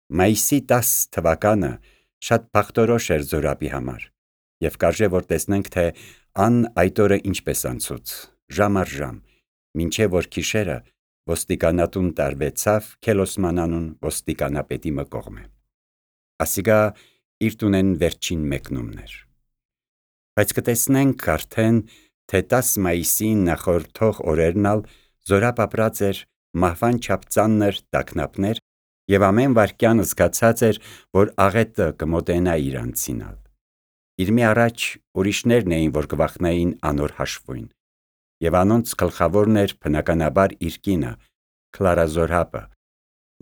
Մայիսի 10 թվականը շատ բախտորոշ էր Զորաբի համար, և կարժե որ տեսնենք, թե ան այդ օրը ինչպես անցուց, ժամ առ ժամ, մինչև որ գիշերը ոստիկանատուն տարվեցավ Քելոսման անուն ոստիկանապետի կողմէ։ Ասիկա իր տունեն վերջին մեկնումն էր։ Բայց կտեսնենք արդեն, թե 10 մայիսին նախորդող օրերն ալ Զորապ ապրած էր մահվան չափ ծանր տագնապներ և ամեն վայրկյան զգացած էր, որ աղետը կմոտենա իր անձինալ։ Իր մի առաջ ուրիշներն էին, որ կվախնային անոր հաշվույն, և անոնց գլխավորն էր բնականաբար իր կինը, Քլարա Զորապը,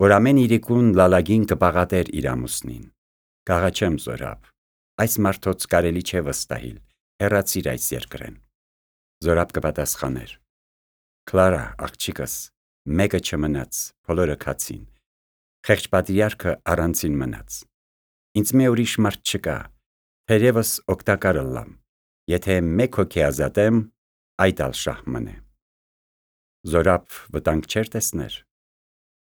որ ամեն իրիկուն լալագին կպաղատեր իր ամուսնին։ Կաղաչեմ Զորապ, այս մարդոց կարելի չէ վստահիլ, հեռացիր այս երկրեն։ Զորապ կպատասխաներ. Քլարա, աղջիկս, մեկը չմնաց, բոլորը քացին, խեղճ պատրիարքը առանցին մնաց։ Ինձ մե ուրիշ մարդ չկա, թերևս օգտակար ըլլամ, եթե մեկ հոգի ազատեմ, այդ ալ շահ մնե։ Զորապ վտանգ չէր տեսներ։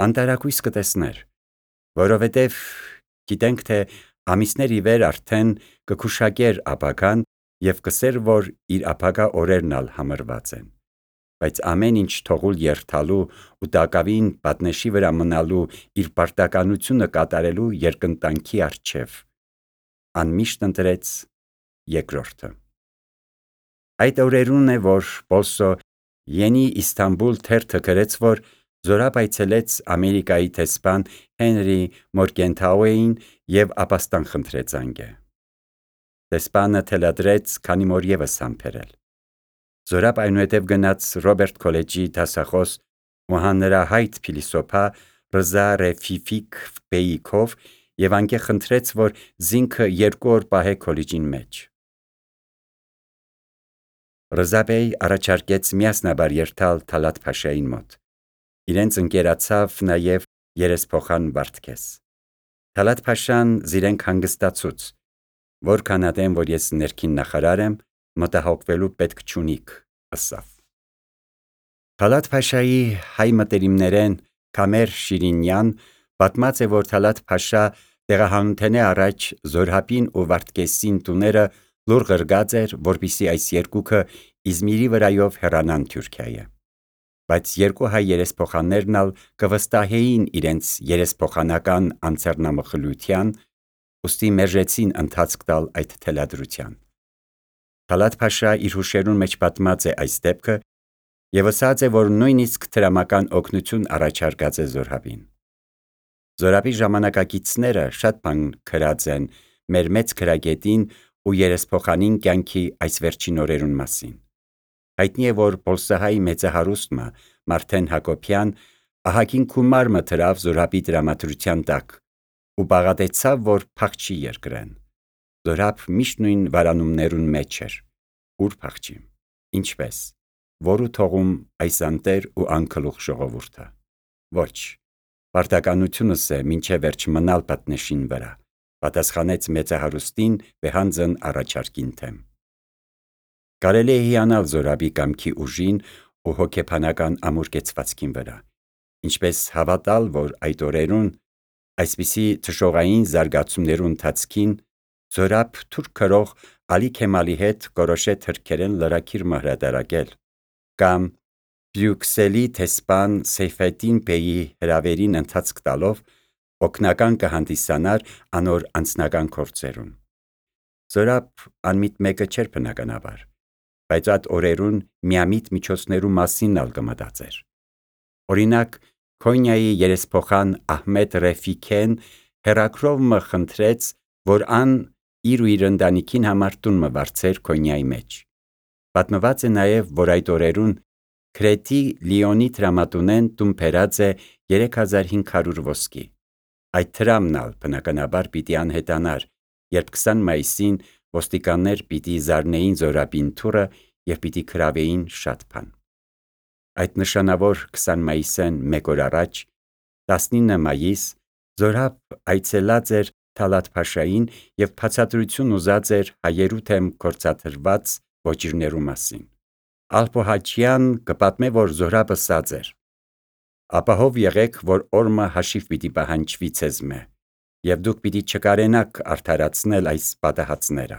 Անտարակույս կտեսներ, որովհետև գիտենք, թե ամիսներ ի վեր արդեն կգուշակեր ապագան և կսեր, որ իր ապագա օրերն ալ համրված են, բայց ամեն ինչ թողուլ երթալու ու տակավին պատնեշի վրա մնալու իր պարտականությունը կատարելու երկընտանքի առջև ան միշտ ընտրեց երկրորդը։ Այդ օրերուն է, որ Պոլսո Յենի Իսթանբուլ թերթը գրեց, որ Զորապ այցելեց Ամերիկայի դեսպան Հենրի Մորգենթաուեին և ապաստան խնդրեց անգե։ Դեսպանը թելադրեց քանի օր ևս համբերել։ Զորապ այնուհետև գնաց Ռոբերտ քոլեջի դասախոս ու հանրահայտ փիլիսոփա Ռզա Ռեֆիֆիկ Բեյիքով և անգե խնդրեց, որ զինքը 2 օր պահե քոլեջին մեջ։ Ռզա Բեյ առաջարկեց միասնաբար երթալ Թալաթ Փաշային մոտ։ Իրենց ընկերացավ նաև երեսփոխան Վարդգես։ Թալաթ Փաշան զիրենք հանգստացուց, որքան ադեմ, որ ես ներքին նախարար եմ, մտահոգվելու պետք չունիք, ըսավ։ Թալաթ Փաշայի հայ մտերիմներեն Քամեր Շիրինյան պատմած է, որ Թալաթ Փաշա տեղահանութենե առաջ Զորհապին ու Վարդգեսին տուները լուռ ղրգած էր, որպեսզի այս երկուքը Իզմիրի վրայով հեռանան Թուրքիայե։ Բայց երկու հայ երեսփոխաններն ալ կվստահեին իրենց երեսփոխանական անձեռնամխլյության, ուստի մերժեցին ընթացք տալ այդ թելադրության։ Թալաթ Փաշա իր հուշերուն մեջ պատմած է այս դեպքը և ասաց է, որ նույնիսկ տրամական օգնություն առաջարկած է Զորհապին։ Զորապի ժամանակակիցները շատ բան գրած են մեր մեծ գրագետին ու երեսփոխանին կյանքի այս վերջին օրերուն մասին։ Հայտնի է, որ պոլսահայ մեծահարուստը Մարթեն Հակոբյան ահագին գումար դրավ Զորապի տրամադրության տակ ու բաղատեցավ, որ փախչի երկրեն։ Զորապ միշտ նույն վարանումներուն մեջ էր։ Ուր փախչի, ինչպես, որու թողում այս անտեր ու անգլուխ ժողովուրդը։ Ոչ, պարտականությունս է մինչև վերջ մնալ պատնեշին վրա, պատասխանեց մեծահարուստին վեհանձն առաջարկին թեմ։ Կարելի է հիանալ Զորապի կամքի ուժին ու հոգեբանական ամուր կեցվածքին վրա, ինչպես հավատալ, որ այդ օրերուն այսպիսի թշողային զարգացումներու ընթացքին Զորապ թուրք գրող Ալի Քեմալի հետ կորոշե թրքերեն լրագիր մահրատարակել, կամ Բրյուքսելի դեսպան Սեյֆեդդին Բեյի հրավերին ընթացք տալով օգնական կհանդիսանար անոր անձնական գործերուն։ Զորապ անմիտ մեկը չէր բնականաբար, բայց այդ օրերուն միամիտ միջոցներու մասին ալ կմտածեր։ Օրինակ, Քոնյայի երեսփոխան Ահմեդ Ռեֆիքեն հեռագրով մը խնդրեց, որ ան իր ու իր ընտանիքին համար տուն մը վարձեր Քոնյայի մեջ։ Պատմված է նաև, որ այդ օրերուն Քրետի Լիոնի տրամատունեն տուն բերած է 3500 ոսկի։ Այդ տրամն ալ բնականաբար պիտի անհետանար, երբ 20 մայիսին ոստիկաններ պիտի զարնեին Զորապին թուրը և պիտի գրավեին շատ բան։ Այդ նշանավոր 20 մայիսեն մեկ օր առաջ, 19 մայիս, Զորապ այցելած էր Թալաթ Փաշային և բացատրություն ուզած էր հայերու թեմ գործադրված ոճիրներու մասին։ Ալփոհաջյան կպատմե, որ Զորապը ասաց էր. «Ապահով եղեք, որ օրմը հաշիվ պիտի պահանջվի ցեզմե, եւ դուք պիտի չկարենաք արդարացնել այս պատահածները։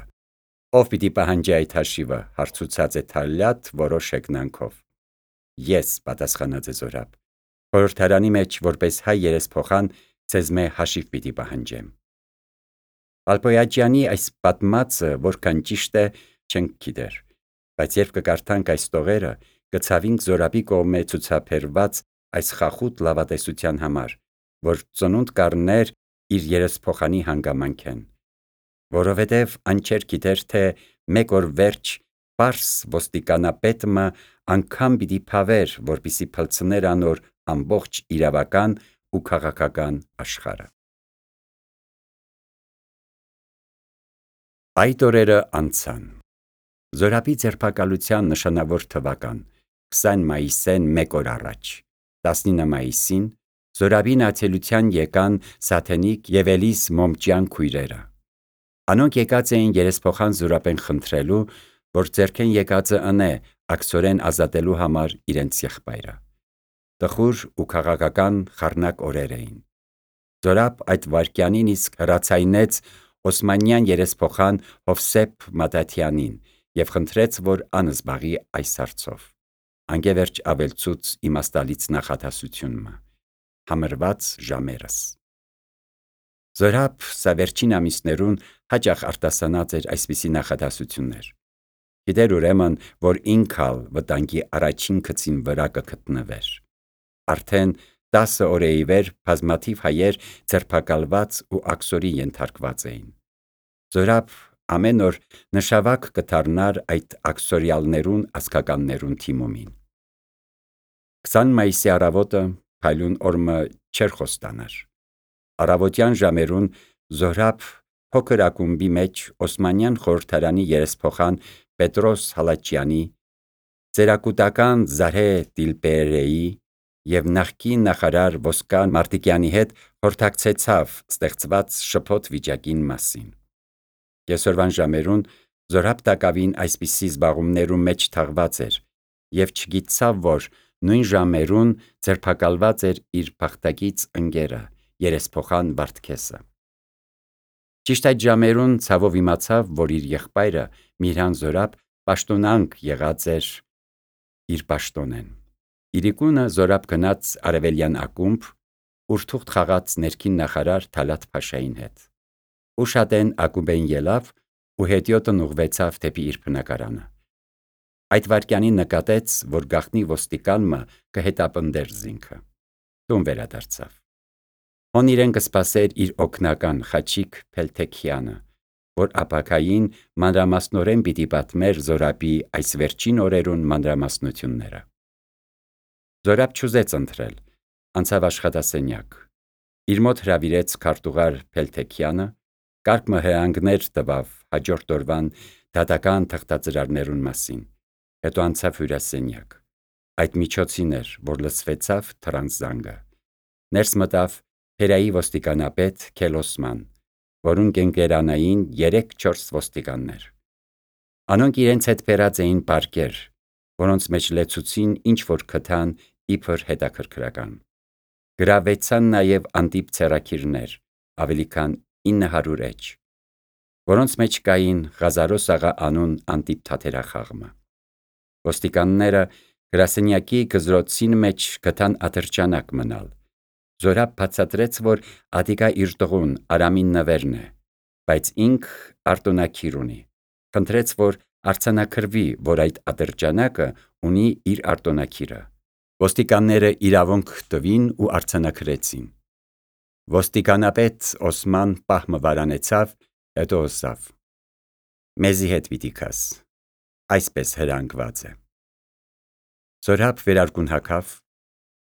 Ով պիտի պահանջի այդ հաշիվը, հարցուցած է Թալյատ որոշ հեգնանքով։ Ես, պատասխանած է Զորաբ, խորհրդարանի մեջ որպես հայ երեսփոխան ցեզմե հաշիվ պիտի պահանջեմ։ Ալպոյաջյանի այս պատմածը որքան ճիշտ է, չենք գիտեր, բայց երբ կկարդանք այս տողերը, կցավինք Զորաբի կողմէ ցուցաբերված այս խախուտ լավատեսության համար, որ ծնունդ կառներ իր երեսփոխանի հանգամանք են, որովհետև անչեր գիտեր, թե մեկ օր վերջ պարս ոստիկանապետը անգամ պիտի փավեր, որպիսի փլցներ անոր ամբողջ իրավական ու քաղաքական աշխարհը։ Այդ օրերը անցան։ Զորաբի ձերբակալության նշանավոր թվական 20 մայիսեն մեկ օր առաջ 19 մայիսին Զորաբին ացելության եկան Սաթենիկ եւ Էլիս Մոմճյան քույրերը։ Անոնք եկած էին երեսփոխան Զորաբեն խնդրելու, որ ձերքեն եկածը ընե աքսորեն ազատելու համար իրենց եղբայրը։ Տխուր ու քաղաքական խառնակ օրեր էին։ Զորաբ այդ վայրկյանին իսկ հրացայնեց Օսմանյան երեսփոխան Հովսեփ Մադաթյանին եւ խնդրեց, որ անզբաղի այս հարցով։ Անգևերջ ավելցուց իմաստալից նախադասությունը համրված ժամերս։ Զորաբ սա վերջին ամիսներուն հաճախ արտասանած էր այսպիսի նախադասություններ։ Գիտեր ուրեմն, որ ինքալ վտանգի առաջին գծին վրա կգտնվեր։ Արդեն 10 օր ի վեր բազմաթիվ հայեր ձերբակալված ու աքսորի ենթարկված էին։ Զորաբ ամեն օր նշավակ կդառնար այդ աքսորյալներուն ազգականներուն թիմումին։ 20 մայիսի առավոտը փայլուն օրը չէր խոստանար։ Առավոտյան ժամերուն Զորաբ փոքր ակումբի մեջ Օսմանյան խորհրդարանի երեսփոխան Պետրոս Հալաչյանի, ծերակուտական Զարհե Տիլպերեի եւ նախկին նախարար Ոսկան Մարտիկյանի հետ խորհրդակցեցավ ստեղծված շփոթ վիճակին մասին։ Կեսօրվան ժամերուն Զորաբ տակավին այսպիսի զբաղումներու մեջ թաղված էր եւ չգիտցավ, որ նույն ժամերուն ձերբակալված էր իր փախտակից ընկերը երեսփոխան Վարդգեսը։ Ճիշտ այդ ժամերուն ցավով իմացավ, որ իր եղբայրը Միրհան Զորաբ պաշտոնանկ եղած էր իր պաշտոնեն։ Իրիկունը Զորաբ գնաց Արևելյան ակումբ, ուր թուղթ խաղաց ներքին նախարար Թալատ Փաշային հետ։ Ուշադեն ակումբեն ելավ ու հետիոտն ուղղվեցավ դեպի իր բնակարանը։ Այդ վայրկյանին նկատեց, որ գախնի ոստիկանը կհետապնդեր զինքը։ Տուն վերադարձավ։ Հոն իրեն կսպասեր իր օգնական Խաչիկ Փելթեքյանը, որ ապակային մանրամասնորեն պիտի պատմեր Զորաբի այս վերջին օրերուն մանրամասնությունները։ Զորաբ չուզեց ընտրել, անցավ աշխատասենյակ։ Իր մոտ հրավիրեց քարտուղար Փելթեքյանը, կարգ մհրանգներ տվավ հաջորդ օրվան դատական թղթածրարներուն մասին, հետո անցավ հյուրասենյակ։ Այդ միջոցին էր, որ լսվեցավ թրանս զանգը։ Ներս մտավ Փերայի ոստիկանապետ Քելոսման, որուն կենկերանային 3-4 ոստիկաններ։ Անոնք իրենց հետ բերած էին պարկեր, որոնց մեջ լեցուցին ինչ որ գտան իբր հետաքրքրական։ Գրավեցան նաև անտիպ ցերակիրներ, ավելի քան 900 էջ, որոնց մեջ կային Ղազարոս աղա անուն անտիպ թաթերախաղմը։ Ոստիկանները գրասենյակի գզրոցին մեջ գտան ատրճանակ մնալ։ Զորաբ բացատրեց, որ ադիկա իր տղուն Արամին նվերն է, բայց ինք արտոնակիր ունի։ Խնդրեց, որ արձանագրվի, որ այդ ատրճանակը ունի իր արտոնակիրը։ Ոստիկանները իրավունք տվին ու արձանագրեցին։ Ոստիկանապետ Օսման պահմը վարանեցավ, հետո ասավ. «Մեզի հետ պիտի գաս, այսպես հրանգված է»։ Զորաբ վերարկուն հագավ։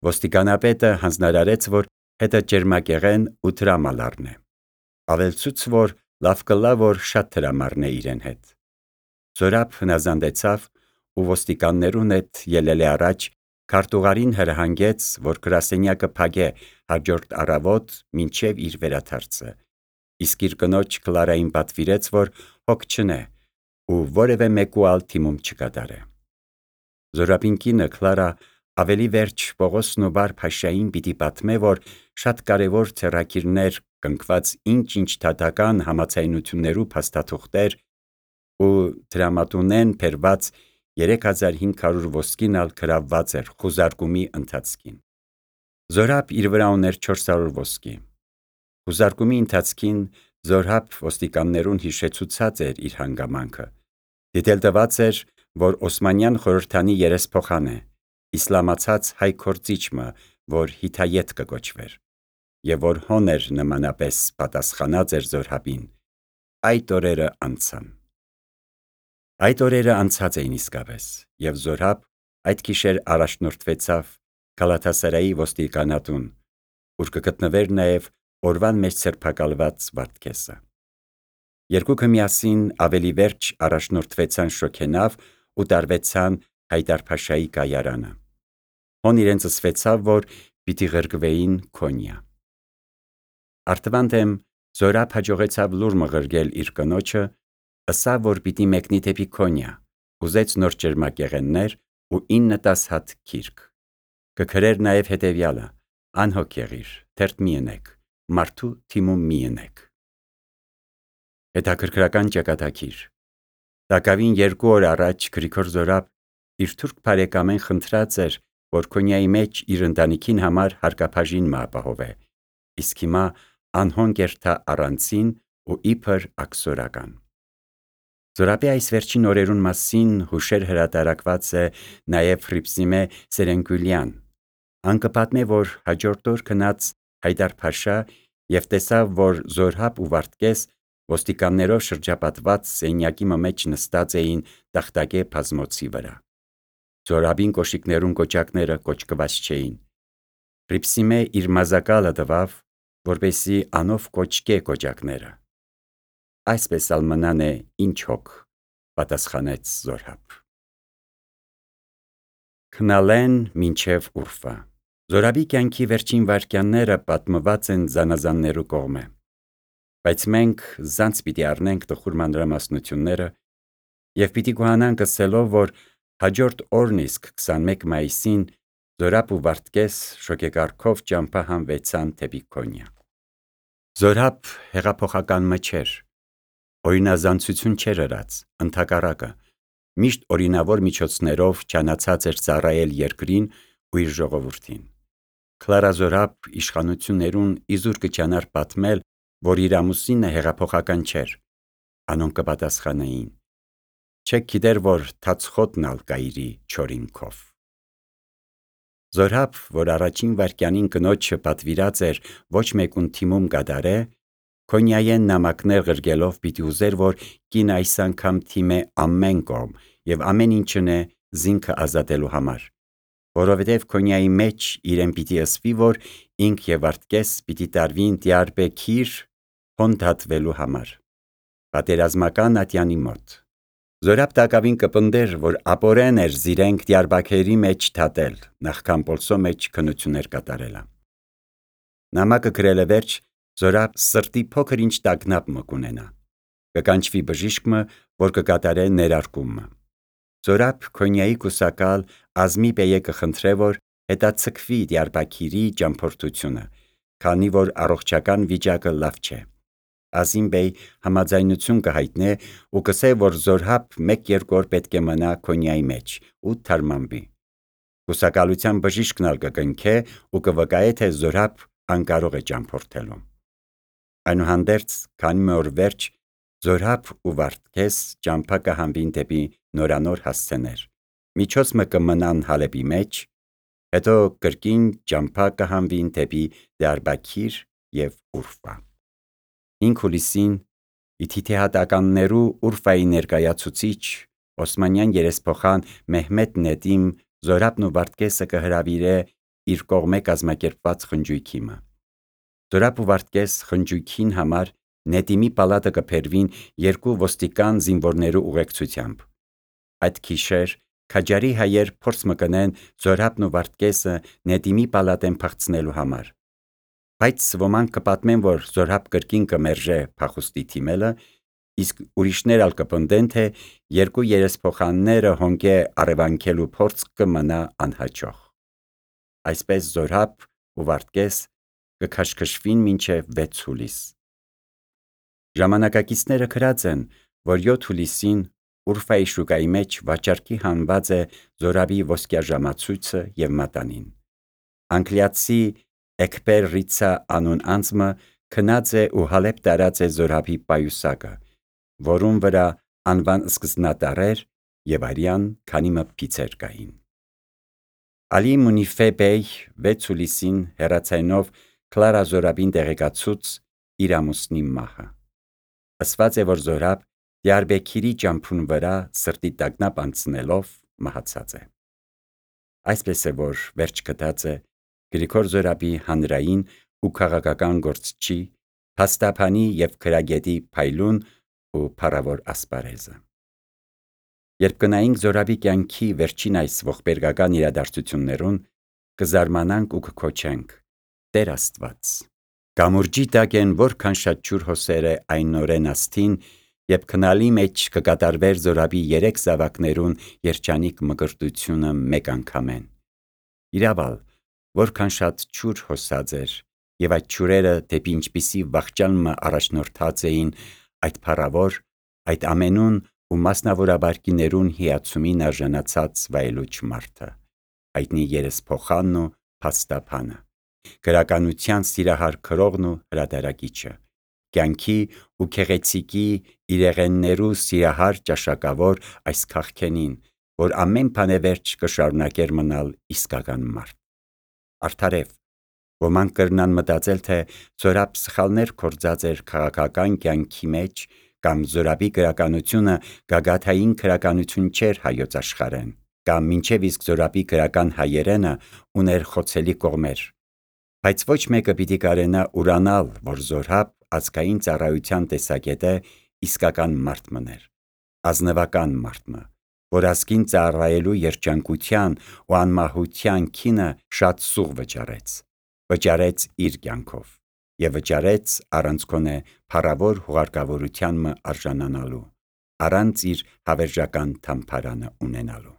Ոստիկանապետը հանձնարարեց, որ հետը ջերմակեղեն ու տրամալ առնե։ Ավելցուց, որ լավ կլա, որ շատ տրամարնե իրեն հետ։ Զորաբ հնազանդեցավ ու ոստիկաններուն հետ ելել է առաջ, քարտուղարին հրահանգեց, որ գրասենյակը փակե հաջորդ առավոտ մինչև իր վերադարձը, իսկ իր կնոջ Կլարային պատվիրեց, որ հոգ չնե ու որևէ մեկու ալ թիմում չկատարե։ Զորաբին կինը Կլարա ավելի վերջ Պողոսն ու Վար Փաշային պիտի պատմե, որ շատ կարևոր ցերակիրներ կնքված ինչ թատական համացայնություններու փաստաթուղթեր ու դրամատունեն փերված 3500 ոսկին ալ գրավված էր խուզարկումի ընթացքին։ Զորապ իր վրա ուներ 400 ոսկի։ Խուզարկումի ընթացքին Զորապ ոստիկաններուն հիշեցուցած էր իր հանգամանքը։ Դիտել տված էր, որ Օսմանյան խորհրդանի երեսփոխան է, իսլամացած հայ քորձիչը, որ Հիթայեթ կկոչվեր, եւ որ հոներ նմանապես պատասխանած էր Զորապին։ Այդ օրերը անցան։ Այդ օրերը անցած էին իսկապես, եւ Զորապ այդ գիշեր առաջնորդվեցավ Գալաթասարայի ոստիկանատուն, ուր կգտնվեր նաեւ օրվան մեջ սրբակալված Վարդգեսը։ Երկուքը միասին ավելի վերջ առաջնորդվեցան շոգենավ ու տարվեցան Հայդար-փաշայի կայարանը։ Հոն իրենց ըսվեցավ, որ պիտի ղրկվեին Քոնյա։ Արտվանդեմ Զորապ հաջողեցավ լուր մղրգել իր կնոջը, ըսավ, որ պիտի մեկնի դեպի Քոնյա, ուզեց նոր ջերմակեղեններ ու 9-10 հատ գիրք։ Կգրեր նաև հետևյալը. անհոգ եղիր, թերթ մի ընեք, մարդու թիմում մի ընեք։ Հետաքրքրական ճակատագիր։ Տակավին 2 օր առաջ Գրիգոր Զորապ իր թուրք բարեկամեն խնդրած էր, որ Քոնյայի մեջ իր ընտանիքին համար հարկաբաժին մը ապահովե, իսկ հիմա անհոն կերթա առանցին ու իբր աքսորական։ Զորապի այս վերջին օրերուն մասին հուշեր հրատարակված է նաև Հռիփսիմե Սերենգյուլյան։ Ան կպատմե, որ հաջորդ օր գնաց Հայդար-փաշա եւ տեսավ, որ Զորապ ու Վարդգես ոստիկաններով շրջապատված սենյակի մեջ նստած էին տախտակե բազմոցի վրա։ Զորապին կոշիկներուն կոճակները կոճկված չէին։ Հռիփսիմե իր մազակալը տվավ, որպեսի անով կոճկե կոճակները։ Այսպես ալ մնան է ինչ հոգ, պատասխանեց Զորապ։ Քնալեն մինչև Ուրֆա։ Զորապի կյանքի վերջին վայրկյանները պատմված են զանազաններու կողմէ, բայց մենք զանց պիտի առնենք տխուր մանրամասնությունները եւ պիտի գոհանանք ասելով, որ հաջորդ օրն իսկ 21 մայիսին Զորապ ու Վարդգես շոգեկարգով ճամփա հանվեցան դեպի Քոնյա։ Զորապ հեղափոխական մը չէր, օրինազանցություն չէր ըրած, ընդհակառակը, միշտ օրինավոր միջոցներով չանացած էր ծառայել երկրին ու իր ժողովրդին։ Քլարա Զորապ իշխանություններուն իզուր կճանար պատմել, որ իր ամուսինը հեղափոխական չէր, անոնք կպատասխանեին. չեք գիտեր, որ թացխոտն ալ կայրի չորինքով։ Զորապ, որ առաջին վայրկյանին կնոջը պատվիրած էր ոչ մեկուն թիմում կդարե, Քոնյայեն նամակներ ղրգելով պիտի ուզեր, որ կին այս անգամ թիմե ամեն կողմ եւ ամեն ինչն է զինքը ազատելու համար, որովհետև Քոնյայի մեջ իրեն պիտի ըսվի, որ ինք եւ Վարդգես պիտի տարվին Դիարբեքիր հոն դատվելու համար, պատերազմական ատյանի մոտ։ Զորապ տակավին կպնդեր, որ ապորեն էր զիրենք Դիարբաքերի մեջ դատել, նախքան Պոլսո մեջ քնություններ կատարելը։ Նամակը գրելը վերջ, Զորապ սրտի փոքր ինչ տագնապ մը կունենա։ Կկանչվի բժիշկը, որ կկատարե ներարկումը։ Զորապ Քոնյայի կուսակալ Ազմի բեյը կխնդրե, որ հետացկվի Դիարբաքիրի ճամփորդությունը, քանի որ առողջական վիճակը լավ չէ։ Ազիմ բեյ համաձայնություն կհայտնե ու կսե, որ Զորապ 1-2 օր պետք է մնա Քոնյայի մեջ ու թարմանվի։ Կուսակալության բժիշկն ալ կկնքե ու կվկայե, թե Զորապ անկարող է ճամփորդելու։ Այնուհանդերձ, քանի մի օր վերջ Զորապ ու Վարդգես ճամփա կհանվին դեպի նորանոր հասցեներ, միջոց մը կմնան Հալեբի մեջ, հետո կրկին ճամփա կհանվին դեպի Դիարբաքիր եւ Ուրֆա։ 5 հուլիսին իթիթեհատականներու Ուրֆայի ներկայացուցիչ Օսմանյան երեսփոխան Մեհմեդ Նեդիմ Զորապն ու Վարդգեսը կհրավիրե իր կողմէ կազմակերպված խնջույքի մը։ Զորապ ու Վարդգես խնջույքին համար Նեդիմի պալատը կբերվին 2 ոստիկան զինվորներու ուղեկցությամբ։ Այդ գիշեր քաջարի հայեր փորձ մը կնեն Զորապն ու Վարդգեսը Նեդիմի պալատեն փախցնելու համար։ Բայց ոմանք կպատմեն, որ Զորապ կրկին կմերժե փախուստի թիմելը, իսկ ուրիշներ ալ կպնդեն, թե 2 երեսփոխանները հոնկե առևանգելու փորձ կմնա անհաջող։ Այսպես Զորապ ու Վարդգես կքաշքշվին մինչև 6 հուլիս։ Ժամանակակիցները գրած են, որ 7 հուլիսին Ուրֆայի շուկայի մեջ վաճառքի հանված է Զորաբի ոսկյա ժամացույցը եւ մատանին։ Անգլիացի Էկբեր Ռիցա անուն անձը քնած է ու հալեպ տարած է Զորաբի պայուսակը, որուն վրա անվան սկզբնատառեր եւ արյան քանի մը փիցեր կային։ Ալի Մունիֆե բեյ 6 հուլիսին հեռացայնով Կլարա Զորաբին տեղեկացուց իր ամուսնի մահը։ Ասված է, որ Զորաբ Դիարբեքիրի ճամփուն վրա սրտի տագնապ անցնելով մահացած է։ Այսպես է, որ վերջ գտած է Գրիգոր Զորաբի հանրային ու քաղաքական գործչի, փաստաբանի եւ քրագետի փայլուն ու փառավոր ասպարեզը։ Երբ կնայինք Զորաբի կյանքի վերջին այս ողբերգական իրադարձություններուն, կզարմանանք ու կքոչենք. Տեր Աստված, կամուրջի տակ են որքան շատ ջուր հոսերը այն նորեն աստին, երբ քնալի մեջ կկատարվեր Զորաբի 3 զավակներուն երջանիկ մկրտությունը մեկ անգամեն։ Իրավալ, որքան շատ ջուր հոսած էր, եւ այդ ջուրերը դեպի ինչպիսի վախճան մը առաջնորդած էին այդ փառավոր, այդ ամենուն ու մասնավորաբար կիներուն հիացումին արժանացած վայելուչ մարդը, հայտնի երեսփոխանն ու փաստաբանը, գրականության սիրահար քրողն ու հրատարակիչը, կյանքի ու քեղեցիկի իրեղեններու սիրահար ճաշակավոր այս քաղքենին, որ ամեն բանը վերջ կշարունակեր մնալ իսկական մարդ։ Արդարև, ոմանք կրնան մտածել, թե Զորաբ սխալներ կործած էր քաղաքական կյանքի մեջ, կամ Զորաբի գրականությունը գագաթային գրականություն չէր հայոց աշխարհեն, կամ մինչև իսկ Զորաբի գրական հայերենը ուներ խոցելի կողմեր։ Բայց ոչ մեկը պիտի կարենա ուրանալ, որ Զորաբ ազգային ծառայության տեսակետը իսկական մարդ մներ, ազնվական մարդ, որ ազգին ծառայելու երջանկության ու անմահության քինը շատ սուղ վճարեց իր կյանքով եւ վճարեց առանց գոնե փառավոր հուղարկավորության արժանանալու, առանց իր հավերժական թամփարանը ունենալու։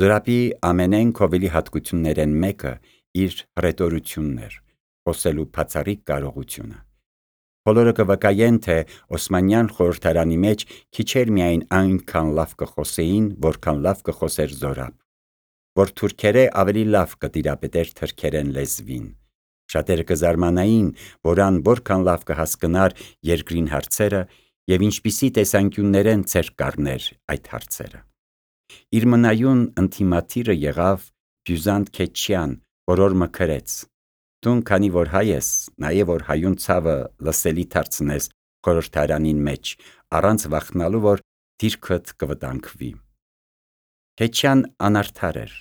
Զորաբի ամենեն քովելի հատկություններեն մեկը իր հռետորությունն էր, խոսելու բացառիկ կարողությունը։ Բոլորը կվկայեն, թե Օսմանյան խորհրդարանի մեջ քիչ էր միայն այնքան լավ կխոսեին, որքան լավ կխոսեր Զորաբ, որ թուրքերը ավելի լավ կտիրապետեր թրքերեն լեզվին։ Շատերը կզարմանային, որ ան որքան լավ կհասկնար երկրին հարցերը եւ ինչպիսի տեսանկյուններեն ցերկ կառներ այդ հարցերը։ Իր մնայուն ընտիմաթիրը եղավ Բյուզանտ Քեչյան, որ օր մքրեց. Դուն քանի որ հայ ես, նաեւ որ հայուն ցավը լսելի դարձնես խորհրդարանին մեջ, առանց վախնալու, որ դիրքդ կվտանգվի։ Քեչյան անարդար էր։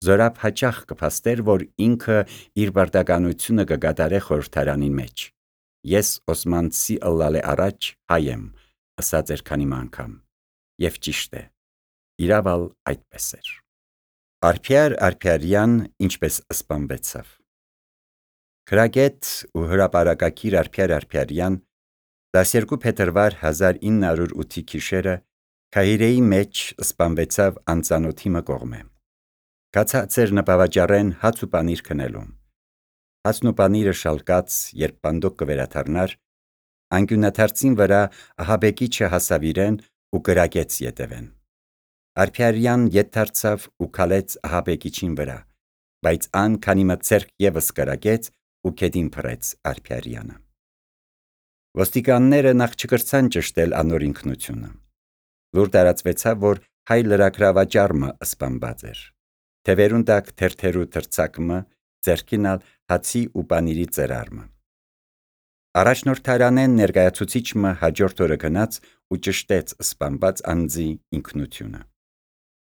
Զորաբ հաճախ կփաստեր, որ ինքը իր բարդականությունը կգադարե խորհրդարանին մեջ։ Ես Օսմանցի ըլլալե առաջ հայ եմ, ասած էր քանի անգամ։ Եվ ճիշտ է, իրավալ այդպես էր։ Արփյար Արփյարյան ինչպես սպանվեցավ։ Քրագետ ու հրապարակագիր Արփյար Արփյարյան 12 փետրվար 1908 գիշերը Քահիրեի մեջ սպանվեցավ անծանոթի կողմէ։ Կացած էր նպավաճառեն հաց ու պանիր քնելուն։ Հացն ու պանիրը շալկած, երբ բանդոկ կվերադառնար, անկյունաթարցին վրա ահաբեկիչը հասավ իրեն ու կրակեց ետևեն։ Արփյարյան ետ դարձավ ու քալեց ահաբեկիչին վրա, բայց ան քանի մը ցերկ եւս կրակեց ու քեդին փռեց Արփյարյանը։ Ոստիկանները նախ չկրցան ճշտել անոր ինքնությունը։ Լուր տարածվեցավ, որ հայ լրագրավաճառը սպանված էր։ Թևերուն տակ թերթերու թրցակը, ձեռքին ալ հացի ու պանիրի ծրարը։ Առաջնորդարանեն ներկայացուցիչը հաջորդ օրը գնաց ու ճշտեց սպանված անձի ինքնությունը։